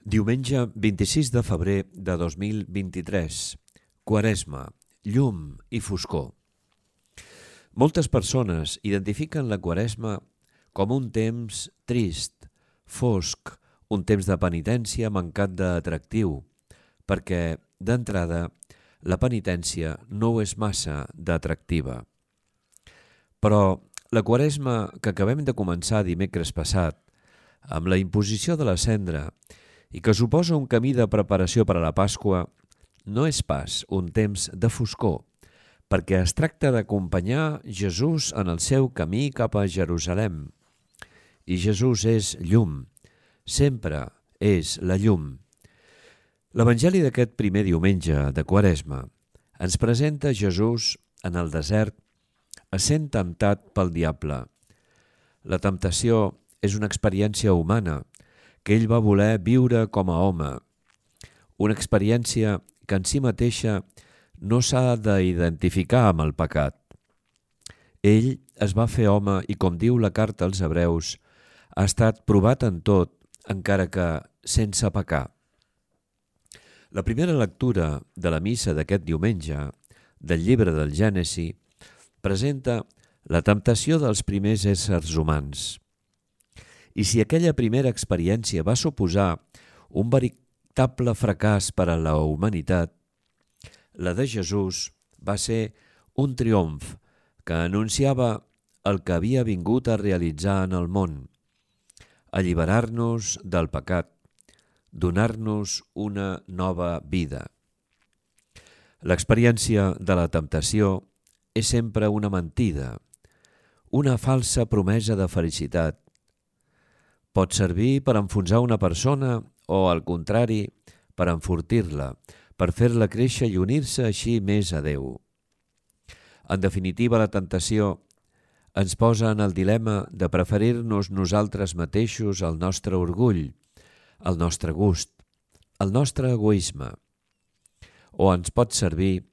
Diumenge 26 de febrer de 2023. Quaresma, llum i foscor. Moltes persones identifiquen la Quaresma com un temps trist, fosc, un temps de penitència mancat d'atractiu, perquè, d'entrada, la penitència no ho és massa d'atractiva. Però la Quaresma que acabem de començar dimecres passat, amb la imposició de la cendra, i que suposa un camí de preparació per a la Pasqua, no és pas un temps de foscor, perquè es tracta d'acompanyar Jesús en el seu camí cap a Jerusalem. I Jesús és llum, sempre és la llum. L'Evangeli d'aquest primer diumenge de Quaresma ens presenta Jesús en el desert essent temptat pel diable. La temptació és una experiència humana que ell va voler viure com a home, una experiència que en si mateixa no s'ha d'identificar amb el pecat. Ell es va fer home i, com diu la carta als Hebreus, ha estat provat en tot, encara que sense pecar. La primera lectura de la missa d'aquest diumenge, del llibre del Gènesi, presenta la temptació dels primers éssers humans. I si aquella primera experiència va suposar un veritable fracàs per a la humanitat, la de Jesús va ser un triomf que anunciava el que havia vingut a realitzar en el món, alliberar-nos del pecat, donar-nos una nova vida. L'experiència de la temptació és sempre una mentida, una falsa promesa de felicitat. Pot servir per enfonsar una persona o, al contrari, per enfortir-la, per fer-la créixer i unir-se així més a Déu. En definitiva, la tentació ens posa en el dilema de preferir-nos nosaltres mateixos al nostre orgull, al nostre gust, al nostre egoisme, o ens pot servir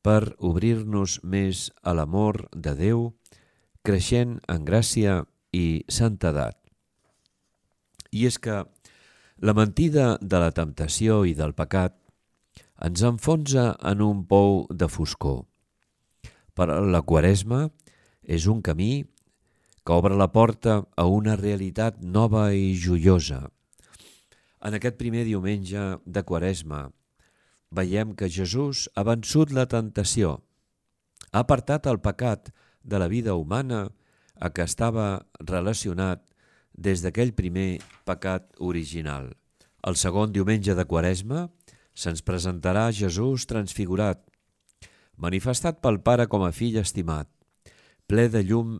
per obrir-nos més a l'amor de Déu, creixent en gràcia i santedat. I és que la mentida de la temptació i del pecat ens enfonsa en un pou de foscor. Però la Quaresma és un camí que obre la porta a una realitat nova i joiosa. En aquest primer diumenge de Quaresma veiem que Jesús ha vençut la tentació, ha apartat el pecat de la vida humana a què estava relacionat des d'aquell primer pecat original. El segon diumenge de Quaresma se'ns presentarà Jesús transfigurat, manifestat pel Pare com a fill estimat, ple de llum,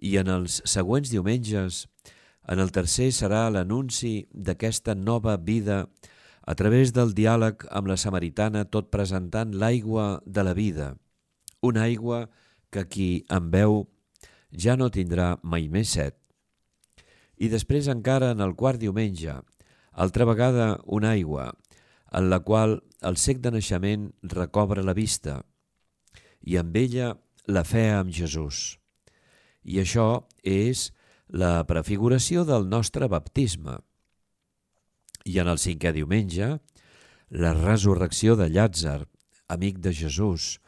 i en els següents diumenges, en el tercer serà l'anunci d'aquesta nova vida a través del diàleg amb la samaritana, tot presentant l'aigua de la vida, una aigua que qui en beu ja no tindrà mai més set. I després encara en el quart diumenge, altra vegada una aigua, en la qual el cec de naixement recobra la vista, i amb ella la fe en Jesús. I això és la prefiguració del nostre baptisme. I en el cinquè diumenge, la resurrecció de Llàtzer, amic de Jesús,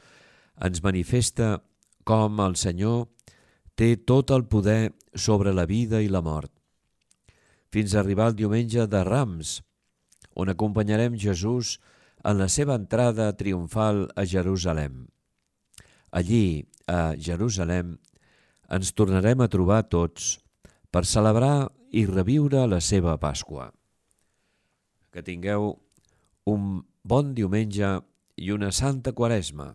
ens manifesta com el Senyor té tot el poder sobre la vida i la mort, fins a arribar al diumenge de Rams, on acompanyarem Jesús en la seva entrada triomfal a Jerusalem. Allí, a Jerusalem, ens tornarem a trobar tots per celebrar i reviure la seva Pasqua. Que tingueu un bon diumenge i una santa Quaresma.